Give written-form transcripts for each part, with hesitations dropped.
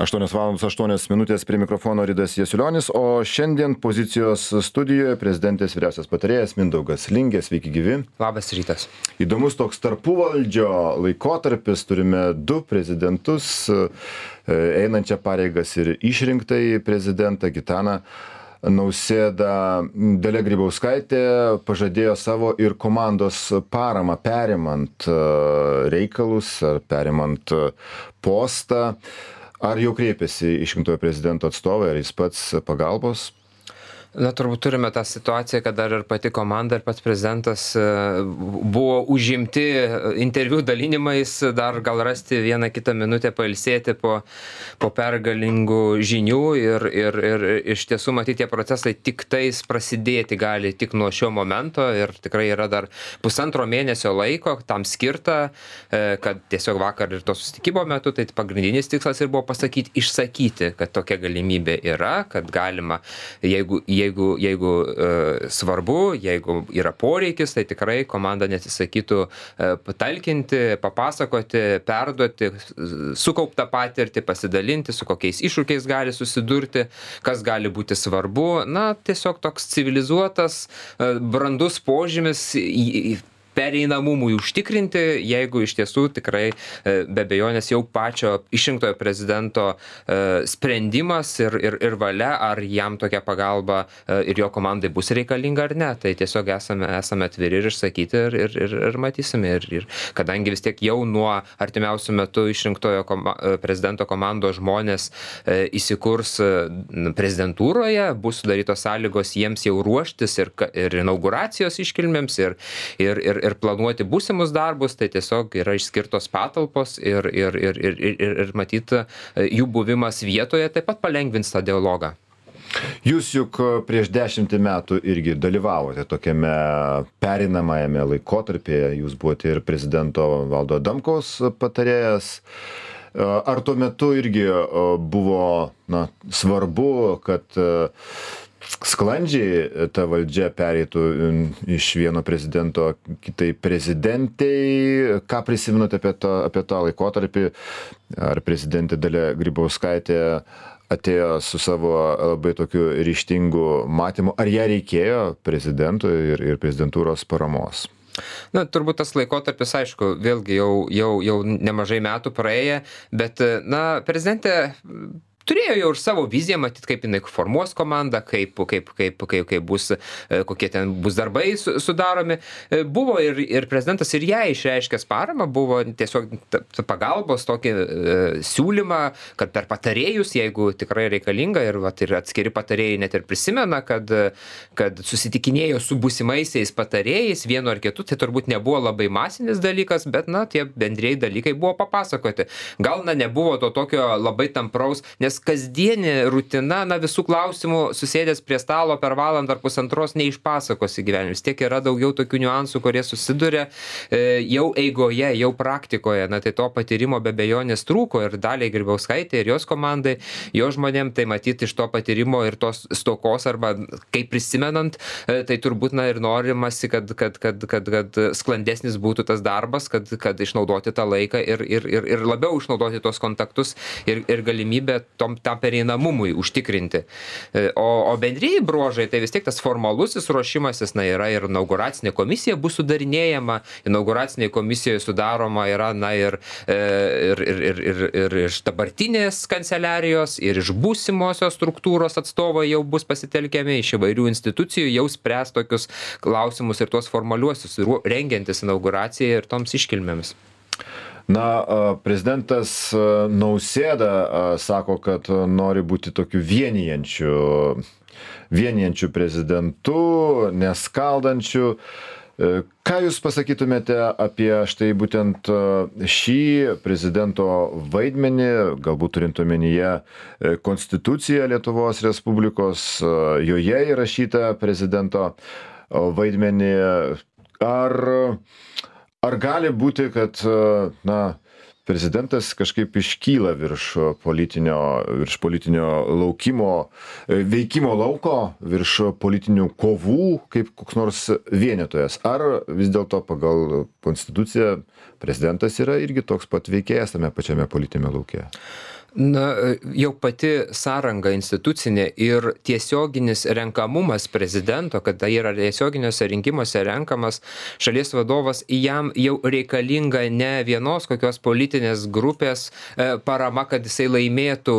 8:08 prie mikrofono Ridas Jasiulionis, o šiandien pozicijos studijoje prezidentės vyriausias patarėjas Mindaugas Lingė. Sveiki gyvi. Labas rytas. Įdomus toks tarpuvaldžio laikotarpis, turime du prezidentus, einančią pareigas ir išrinktąjį prezidentą Gitaną Nausėdą. Dalia Grybauskaitė pažadėjo savo ir komandos paramą perimant reikalus ar perimant postą. Ar jau kreipėsi išrinktojo prezidento atstovai, ar jis pats pagalbos? Na, turbūt turime tą situaciją, kad dar ir pati komanda ir pats prezidentas buvo užimti interviu dalinimais, dar gal rasti vieną kitą minutę pailsėti po pergalingų žinių ir iš tiesų matyti tie procesai tik tais prasidėti gali tik nuo šio momento ir tikrai yra dar pusantro mėnesio laiko tam skirta, kad tiesiog vakar ir to susitikimo metu, tai pagrindinis tikslas ir buvo išsakyti, kad tokia galimybė yra, kad galima, jeigu svarbu, jeigu yra poreikis, tai tikrai komanda nesisakytų patalkinti, papasakoti, perduoti sukauptą patirtį, pasidalinti, su kokiais iššūkiais gali susidurti, kas gali būti svarbu. Na, tiesiog toks civilizuotas, brandus požymis pereinamumui užtikrinti, jeigu iš tiesų tikrai be abejonės jau pačio išrinktojo prezidento sprendimas ir valia, ar jam tokia pagalba ir jo komandai bus reikalinga ar ne. Tai tiesiog esame atviri ir išsakyti ir matysime. Ir kadangi vis tiek jau nuo artimiausių metų išrinktojo prezidento komandos žmonės įsikurs prezidentūroje, bus sudarytos sąlygos jiems jau ruoštis ir inauguracijos iškilmėms ir planuoti būsimus darbus, tai tiesiog yra išskirtos patalpos ir matyt, jų buvimas vietoje taip pat palengvins tą dialogą. Jūs juk prieš 10 metų irgi dalyvavote tokiame pereinamajame laikotarpyje, jūs buvote ir prezidento Valdo Adamkaus patarėjas. Ar tuo metu irgi buvo svarbu, kad sklandžiai ta valdžia pereitų iš vieno prezidento kitai prezidentei? Ką prisimenote apie tą laikotarpį? Ar prezidentė Dalia Grybauskaitė atėjo su savo labai tokiu ryžtingu matymu? Ar ją reikėjo prezidentui ir prezidentūros paramos? Na, turbūt tas laikotarpis, aišku, vėlgi jau nemažai metų praėję, bet, prezidentė turėjo jau ir savo viziją, matyt, kaip jinai formuos komandą, kaip bus, kokie ten bus darbai sudaromi. Buvo ir prezidentas ir ją išreiškęs paramą, buvo tiesiog pagalbos tokį siūlymą, kad per patarėjus, jeigu tikrai reikalinga, ir atskiri patarėjai net ir prisimena, kad susitikinėjo su būsimaisiais patarėjais, vienu ar kitu, tai turbūt nebuvo labai masinis dalykas, bet, tie bendrieji dalykai buvo papasakoti. Gal, nebuvo to tokio labai tampraus, nes kasdienė rutina, visų klausimų susėdęs prie stalo per valandą ar pusantros neišpasakosi gyvenime. Vis tiek yra daugiau tokių niuansų, kurie susiduria jau eigoje, jau praktikoje. Tai to patyrimo be abejonės trūko ir Daliai Grybauskaitė ir jos komandai, jo žmonėm, tai matyti iš to patyrimo ir tos stokos arba kaip prisimenant, tai turbūt ir norimasi, kad sklandesnis būtų tas darbas, kad išnaudoti tą laiką ir labiau išnaudoti tos kontaktus ir galimybę tam pereinamumui užtikrinti. O bendrieji bruožai, tai vis tiek tas formalusis ruošimasis, yra ir inauguracinė komisija bus sudarinėjama, inauguracinė komisija sudaroma yra, ir iš dabartinės kanceliarijos, ir iš būsimosios struktūros atstovai jau bus pasitelkiami, iš įvairių institucijų jau spręs tokius klausimus ir tuos formaliuosius, rengiantis inauguracijai ir toms iškilmėms. Prezidentas Nausėda sako, kad nori būti tokiu vienijančiu prezidentu, neskaldančiu. Ką Jūs pasakytumėte apie štai būtent šį prezidento vaidmenį, galbūt turint omenyje Konstituciją Lietuvos Respublikos, joje įrašytą prezidento vaidmenį? Ar gali būti, kad prezidentas kažkaip iškyla virš politinio veikimo lauko, virš politinių kovų, kaip koks nors vienytojas? Ar vis dėlto pagal Konstituciją prezidentas yra irgi toks pat veikėjas tame pačiame politiniame lauke? Na, jau pati sąranga institucinė ir tiesioginis renkamumas prezidento, kada yra tiesioginiuose rinkimuose renkamas šalies vadovas, jam jau reikalinga ne vienos kokios politinės grupės parama, kad jisai laimėtų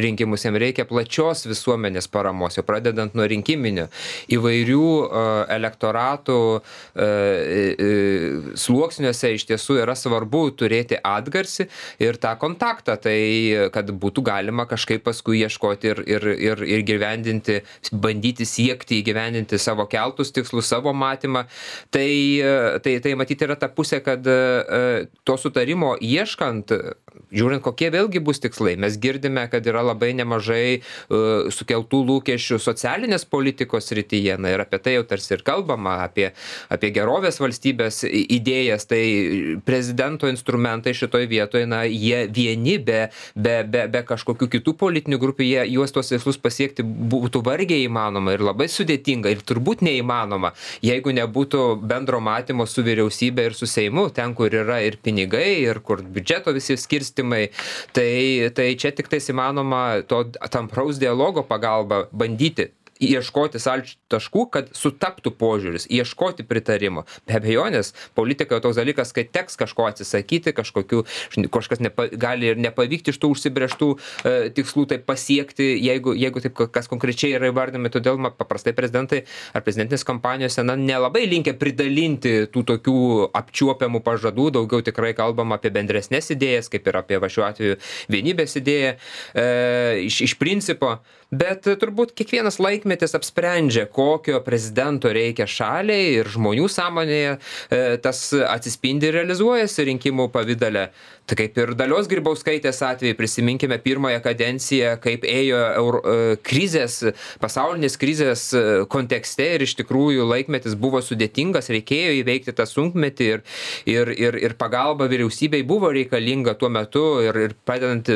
rinkimus, jam reikia plačios visuomenės paramos, jau pradedant nuo rinkiminio, įvairių elektoratų sluoksniuose iš tiesų yra svarbu turėti atgarsį ir tą kontaktą, tai kad būtų galima kažkaip paskui ieškoti ir gyvendinti, bandyti siekti įgyvendinti savo keltus tikslus, savo matymą. Tai matyti yra ta pusė, kad to sutarimo ieškant, žiūrint, kokie vėlgi bus tikslai. Mes girdime, kad yra labai nemažai sukeltų lūkesčių socialinės politikos srityje, na ir apie tai jau tarsi ir kalbama, apie gerovės valstybės idėjas, tai prezidento instrumentai šitoj vietoje, na, jie vieni be kažkokių kitų politinių grupių, juos tuos tikslus pasiekti būtų vargiai įmanoma ir labai sudėtinga ir turbūt neįmanoma, jeigu nebūtų bendro matymo su vyriausybė ir su Seimu, ten, kur yra ir pinigai, ir kur biudžeto visi skirstimai, tai čia tik tais įmanoma to tampraus dialogo pagalba bandyti ieškoti sąlyčio taškų, kad sutaptų požiūris, ieškoti pritarimo. Be abejonės, politika toks dalykas, kai teks kažko atsisakyti, kažkas gali ir nepavykti iš tų užsibrėžtų tikslų tai pasiekti, jeigu taip kas konkrečiai yra įvardinami, todėl paprastai prezidentai ar prezidentinės kampanijose nelabai linkę pridalinti tų tokių apčiuopiamų pažadų, daugiau tikrai kalbam apie bendresnės idėjas, kaip ir apie šiuo atveju vienybės idėją iš principo. Bet turbūt kiekvienas laikmetis apsprendžia, kokio prezidento reikia šaliai ir žmonių sąmonėje, tas atsispindi ir realizuojasi rinkimų pavydale. Tai kaip ir Dalios Grybauskaitės atveju, prisiminkime pirmąją kadenciją, kaip ėjo pasaulinės krizės kontekste ir iš tikrųjų laikmetis buvo sudėtingas, reikėjo įveikti tą sunkmetį ir pagalba vyriausybei buvo reikalinga tuo metu ir padedant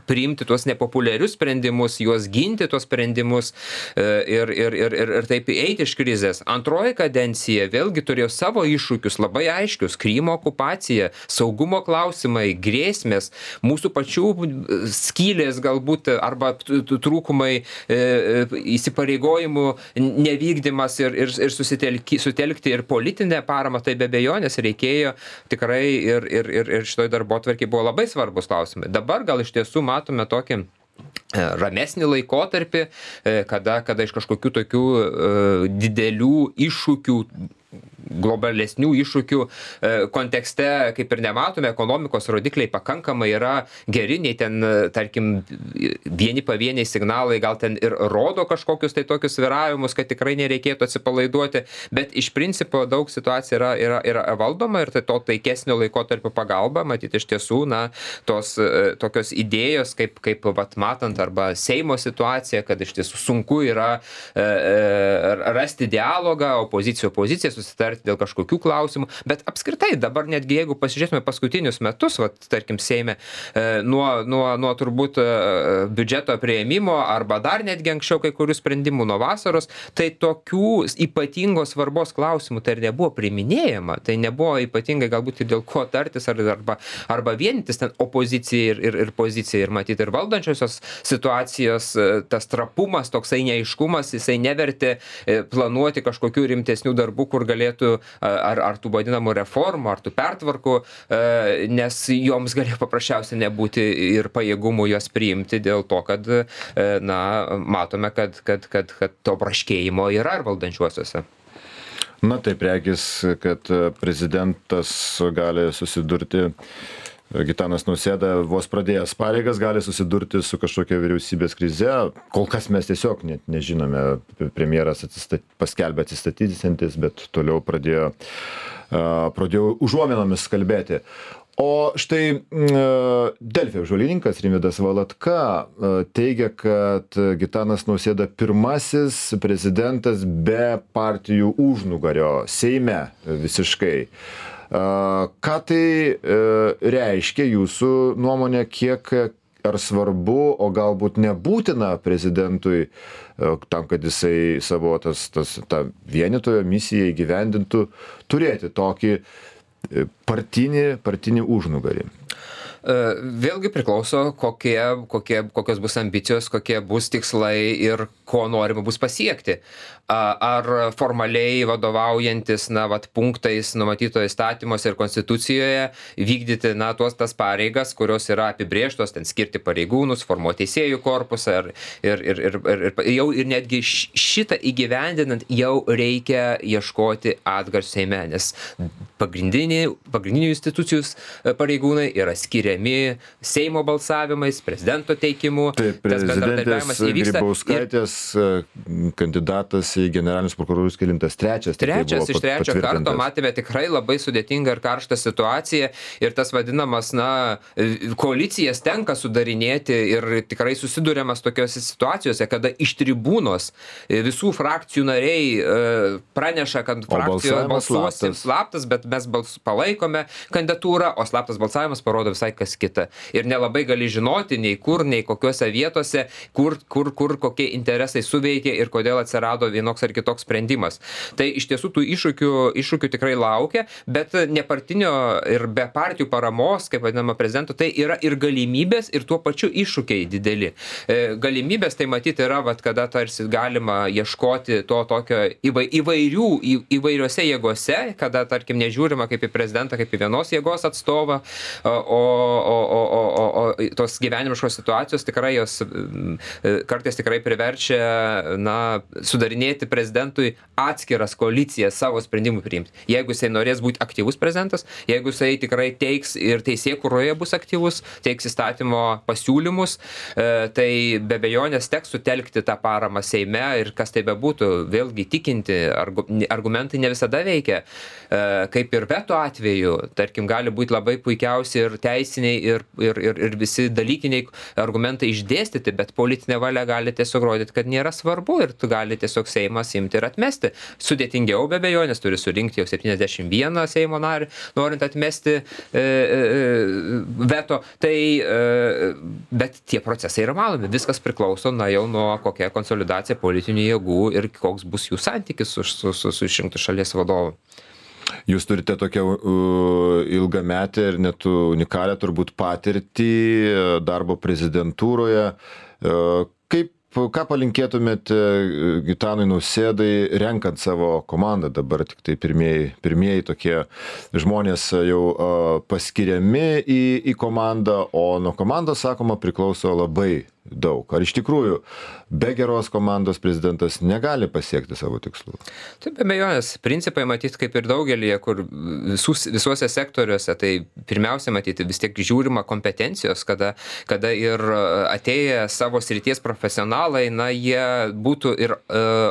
priimti tuos nepopuliarius sprendimus, juos ginti tuos sprendimus ir taip eiti iš krizės. Antroji kadencija vėlgi turėjo savo iššūkius labai aiškius, Krymo okupacija, saugumo klausimai, grėsmės, mūsų pačių skylės galbūt arba trūkumai, įsipareigojimų nevykdymas ir sutelkti ir politinę paramą, tai be abejonės reikėjo tikrai ir šitoj darbotvarkėj buvo labai svarbus klausimai. Dabar gal iš tiesų matome tokį ramesnį laikotarpį, kada iš kažkokių tokių didelių iššūkių, globalesnių iššūkių kontekste kaip ir nematome, ekonomikos rodikliai pakankamai yra geri, nei ten, tarkim, pavieniai signalai gal ten ir rodo kažkokius tai tokius sviravimus, kad tikrai nereikėtų atsipalaiduoti, bet iš principo daug situacija yra valdoma ir tai to taikesnio laikotarpio pagalba, matyti iš tiesų, tos tokios idėjos, kaip matant arba Seimo situacija, kad iš tiesų sunku yra rasti dialogą, opozicija susitarti dėl kažkokių klausimų, bet apskritai dabar netgi jeigu pasižiūrėtume paskutinius metus, tarkim Seime, nuo turbūt biudžeto priėmimo arba dar netgi anksčiau kai kurių sprendimų nuo vasaros, tai tokių ypatingos svarbos klausimų tai ir nebuvo priiminėjama, tai nebuvo ypatingai galbūt ir dėl ko tartis arba vienytis ten opozicija ir pozicija ir matyti ir valdančiosios situacijos, tas trapumas, toksai neaiškumas, jisai nevertė planuoti kažkokių rimtesnių darbų, kur galėtų ar tų vadinamų reformų, ar tų pertvarkų, nes joms galėjo paprasčiausiai nebūti ir pajėgumų jos priimti dėl to, kad matome, kad to braškėjimo yra ir valdančiuosiuose. Na taip, regis, kad prezidentas gali susidurti, Gitanas Nausėda vos pradėjęs pareigas gali susidurti su kažkokia vyriausybės krize. Kol kas mes tiesiog net nežinome, premjeras paskelbė atsistatydintis, bet toliau pradėjo užuominomis kalbėti. O štai Delfi apžvalgininkas Rimvydas Valatka teigia, kad Gitanas Nausėda pirmasis prezidentas be partijų užnugario Seime visiškai. Ką tai reiškia jūsų nuomonė, kiek ar svarbu, o galbūt nebūtina prezidentui tam, kad jisai savo tą vienytojo misiją įgyvendintų, turėti tokį partinį užnugarį? Vėlgi priklauso, kokios bus ambicijos, kokie bus tikslai ir ko norima bus pasiekti. Ar formaliai vadovaujantis, punktais numatyto įstatymuose ir konstitucijoje vykdyti, tas pareigas, kurios yra apibrėžtos, ten skirti pareigūnus, formuoti teisėjų korpusą ir netgi šitą įgyvendinant jau reikia ieškoti atgarsių Seime, nes pagrindinių institucijų pareigūnai yra skiriami Seimo balsavimais, prezidento teikimu. Taip, prezidentės Grybauskaitės kandidatas į generalinius prokurorus kelintas trečias iš trečio karto matėme tikrai labai sudėtingą ir karštą situaciją ir tas vadinamas, koalicijas tenka sudarinėti ir tikrai susiduriamas tokiose situacijose, kada iš tribūnos visų frakcijų nariai praneša, kad frakcijoje balsuosim slaptas, bet mes palaikome kandidatūrą, o slaptas balsavimas parodo visai kas kita. Ir nelabai gali žinoti nei kur, nei kokiuose vietose, kur kokie interesai suveikė ir kodėl atsirado vienoks ar kitoks sprendimas. Tai iš tiesų tų iššūkių tikrai laukia, bet nepartinio ir be partijų paramos, kaip vadinama prezidento, tai yra ir galimybės, ir tuo pačiu iššūkiai dideli. Galimybės tai matyti yra, kada tarsi galima ieškoti to tokio įvairiose jėgose, kada, tarkim, nežiūrima kaip į prezidentą, kaip į vienos jėgos atstovą, o tos gyvenimiškos situacijos tikrai jos kartais tikrai priverčia, sudarinėti prezidentui atskiras koalicijas savo sprendimų priimti. Jeigu jisai norės būti aktyvus prezidentas, jeigu jisai tikrai teiks ir teisėkūroje bus aktyvus, teiks įstatymo pasiūlymus, tai be abejonės teks sutelkti tą paramą Seime ir kas tai bebūtų, vėlgi tikinti, argumentai ne visada veikia. Kaip ir veto atveju, tarkim, gali būti labai puikiausi ir teisiniai ir visi dalykiniai argumentai išdėstyti, bet politinė valia gali tiesiog rodyti, kad nėra svarbu ir tu gali tiesiog Seimas imti ir atmesti. Sudėtingiau be abejonės, turi surinkti jau 71 Seimo narį, norint atmesti veto. Bet tie procesai yra malomi. Viskas priklauso jau nuo kokia konsolidacija politinių jėgų ir koks bus jų santykis su išrinktu šalies vadovu. Jūs turite tokią ilgametę ir net unikalią turbūt patirtį darbo prezidentūroje. Ką palinkėtumėte Gitanui Nausėdai, renkant savo komandą? Dabar tik tai pirmieji tokie žmonės jau paskiriami į komandą, o nuo komandos, sakoma, priklauso labai daug. Ar iš tikrųjų be geros komandos prezidentas negali pasiekti savo tikslų? Taip, be abejonės, principai matyti kaip ir daugelį, kur visuose sektoriuose, tai pirmiausia matyti vis tiek žiūrima kompetencijos, kada ir atėję savo srities profesionalai, jie būtų ir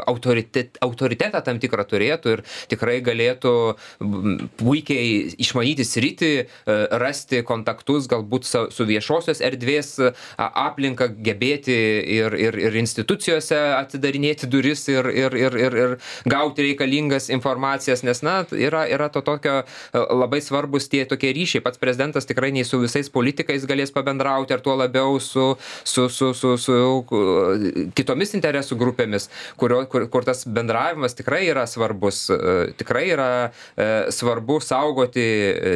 autoritetą tam tikrą turėtų ir tikrai galėtų puikiai išmanyti sritį, rasti kontaktus galbūt su viešosios erdvės aplinka, gebėti ir institucijose atidarinėti duris ir gauti reikalingas informacijas, nes yra to tokio labai svarbus tie tokie ryšiai. Pats prezidentas tikrai nei su visais politikais galės pabendrauti, ar tuo labiau su kitomis interesų grupėmis, kur tas bendravimas tikrai yra svarbus. Tikrai yra svarbu saugoti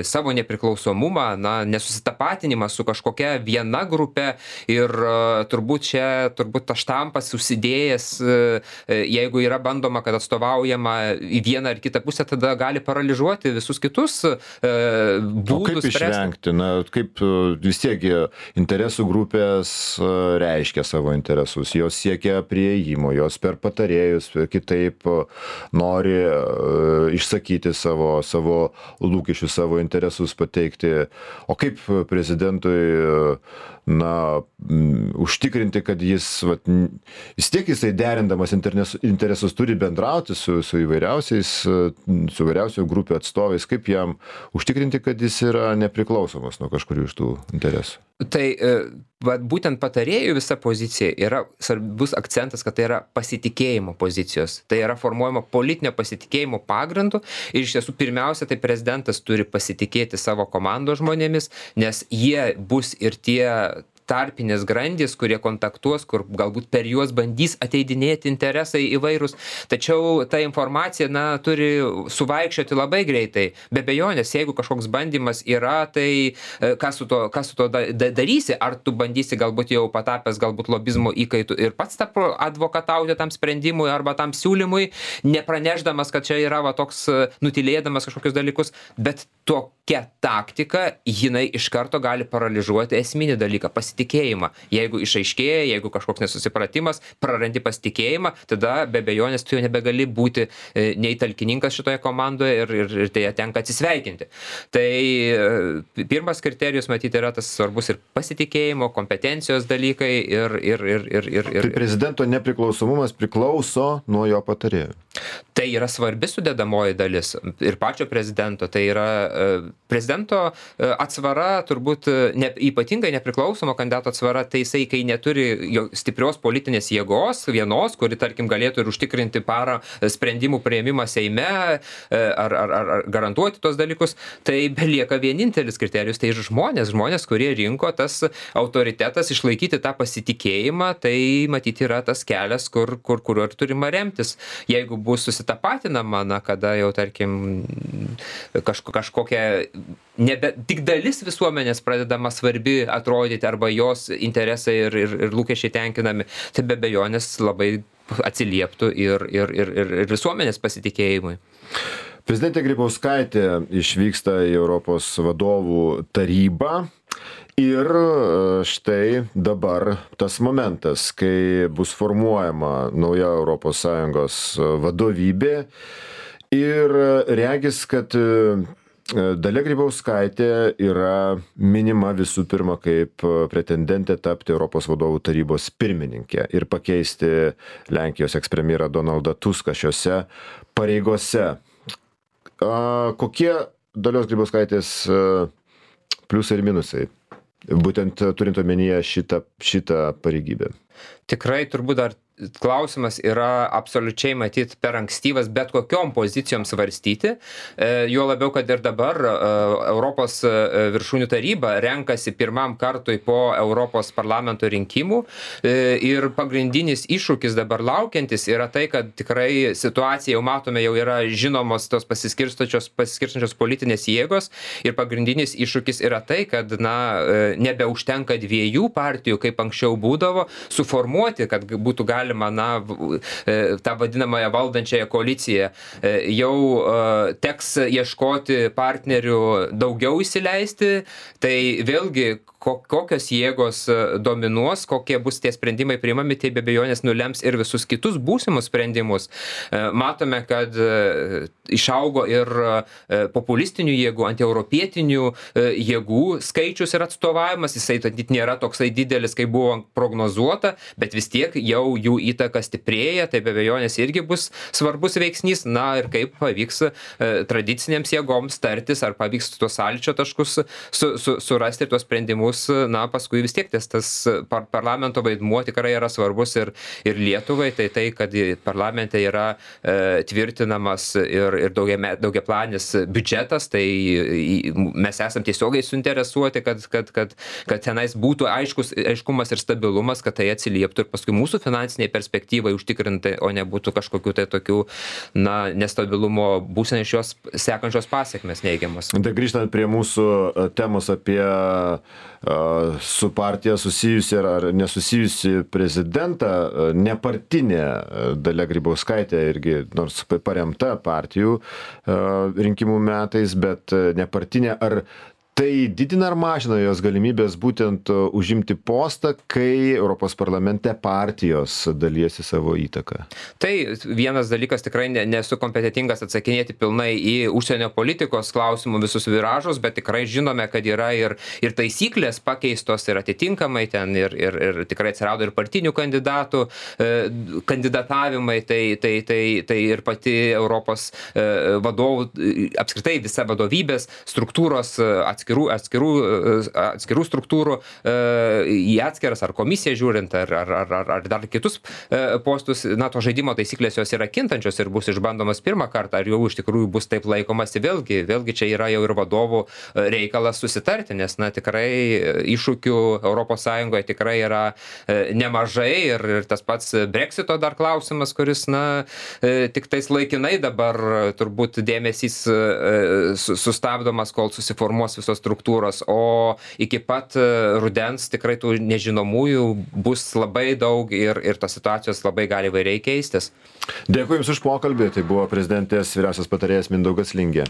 savo nepriklausomumą, nesusitapatinimą su kažkokia viena grupė ir turbūt tas štampas užsidėjęs, jeigu yra bandoma, kad atstovaujama į vieną ar kitą pusę, tada gali paralyžuoti visus kitus būdus. Kaip išvengti? Kaip vis tiek interesų grupės reiškia savo interesus, jos siekia prieėjimo, jos per patarėjus kitaip nori išsakyti savo lūkesčius, savo interesus pateikti. O kaip prezidentui užtikrinti, kad jis jisai derindamas interesus turi bendrauti su įvairiausių grupių atstovais, kaip jam užtikrinti, kad jis yra nepriklausomas nuo kažkurių iš tų interesų? Tai būtent patarėjų visa pozicija yra svarbus akcentas, kad tai yra pasitikėjimo pozicijos. Tai yra formuojama politinio pasitikėjimo pagrindu ir iš tiesų pirmiausia, tai prezidentas turi pasitikėti savo komandos žmonėmis, nes jie bus ir tie tarpinės grandys, kurie kontaktuos, kur galbūt per juos bandys ateidinėti interesai įvairūs. Tačiau ta informacija, turi suvaikščioti labai greitai. Be abejonės, jeigu kažkoks bandymas yra, tai kas su to darysi? Ar tu bandysi galbūt jau patapęs galbūt lobizmo įkaitų ir pats advokatauti tam sprendimui arba tam siūlymui, nepraneždamas, kad čia yra toks nutylėdamas kažkokius dalykus, bet tokia taktika, jinai iš karto gali paralyžuoti esminį dalyką - pasitikėjimą. Jeigu išaiškėja, jeigu kažkoks nesusipratimas, prarandi pasitikėjimą, tada be abejonės tu jau nebegali būti nei talkininkas šitoje komandoje ir tai tenka atsisveikinti. Tai pirmas kriterijus, matyti, yra tas svarbus ir pasitikėjimo, kompetencijos dalykai ir. Tai prezidento nepriklausomumas priklauso nuo jo patarėjų. Tai yra svarbi sudedamoji dalis ir pačio prezidento. Tai yra prezidento atsvara, turbūt ypatingai nepriklausomo kandidato atsvara, tai jisai, kai neturi stiprios politinės jėgos, vienos, kuri, tarkim, galėtų ir užtikrinti parą sprendimų priėmimą Seime ar garantuoti tos dalykus, tai belieka vienintelis kriterijus, tai žmonės, kurie rinko, tas autoritetas, išlaikyti tą pasitikėjimą, tai matyti yra tas kelias, kuriuo ir turima remtis. Jeigu bus susitapatinama, kada jau, tarkim, kažkokia tik dalis visuomenės pradedama svarbi atrodyti arba jos interesai ir lūkesčiai tenkinami, tai be abejonės labai atsilieptų ir visuomenės pasitikėjimui. Prezidentė Grybauskaitė išvyksta į Europos vadovų tarybą. Ir štai dabar tas momentas, kai bus formuojama nauja ES vadovybė ir regis, kad Dalia Grybauskaitė yra minima visų pirma kaip pretendentė tapti Europos vadovų tarybos pirmininkė ir pakeisti Lenkijos ekspremjerą Donaldą Tuską šiose pareigose. Kokie Dalios Grybauskaitės pliusai ir minusai? Būtent turint omenyje šitą pareigybę. Tikrai turbūt dar klausimas yra absoliučiai matyt per ankstyvas bet kokiom pozicijom svarstyti, juo labiau, kad ir dabar Europos viršūnių taryba renkasi pirmam kartui po Europos parlamento rinkimų ir pagrindinis iššūkis dabar laukiantis yra tai, kad tikrai situacija jau matome, jau yra žinomos tos pasiskirstančios politinės jėgos ir pagrindinis iššūkis yra tai, kad nebeužtenka dviejų partijų, kaip anksčiau būdavo, suformuoti, kad būtų galima tą vadinamąją valdančiąją koaliciją. Jau teks ieškoti partnerių daugiau įsileisti, tai vėlgi kokios jėgos dominuos, kokie bus tie sprendimai priimami, tai be abejonės nulems ir visus kitus būsimus sprendimus. Matome, kad išaugo ir populistinių jėgų, antieuropietinių jėgų skaičius ir atstovavimas, jisai nėra toksai didelis, kaip buvo prognozuota, bet vis tiek jau jų įtaka stiprėja, tai be abejonės irgi bus svarbus veiksnys, ir kaip pavyks tradicinėms jėgoms tartis, ar pavyks tuos sąlyčio taškus surasti ir tuos sprendimus, paskui vis tiek tas parlamento vaidmuo tikrai yra svarbus ir Lietuvai, tai kad parlamente yra tvirtinamas ir daugiaplanis biudžetas, tai mes esam tiesiogiai suinteresuoti, kad tenais būtų aiškumas ir stabilumas, kad tai atsilieptų ir paskui mūsų finansiniai perspektyvai užtikrinti, o nebūtų kažkokių tai tokių nestabilumo būsenai iš jos sekančios pasekmės neigiamas. Tai grįžtant prie mūsų temos apie su partija susijusi ar nesusijusi prezidentą, nepartinė Dalia Grybauskaitė irgi, nors paremta partijų rinkimų metais, bet nepartinė, ar tai didina ar mažina jos galimybės būtent užimti postą, kai Europos parlamente partijos dalijasi savo įtaką? Tai vienas dalykas, tikrai nesu kompetentingas atsakinėti pilnai į užsienio politikos klausimų visus viražus, bet tikrai žinome, kad yra ir taisyklės pakeistos ir atitinkamai ten ir tikrai atsirado ir partinių kandidatų kandidatavimai, tai ir pati Europos vadovų, apskritai visa vadovybės struktūros atskirų struktūrų į atskiras ar komisiją žiūrint, ar dar kitus postus, na, to žaidimo taisyklės jos yra kintančios ir bus išbandomas pirmą kartą, ar jau iš tikrųjų bus taip laikomasi, vėlgi čia yra jau ir vadovų reikalas susitarti, nes, na, tikrai iššūkių ES tikrai yra nemažai ir tas pats Brexito dar klausimas, kuris, na, tik tais laikinai dabar turbūt dėmesys sustabdomas, kol susiformuos visos struktūros, o iki pat rudens tikrai tų nežinomųjų bus labai daug ir tos situacijos labai gali įvairiai keistis. Dėkui Jums už pokalbį. Tai buvo prezidentės vyriausias patarėjas Mindaugas Lingė.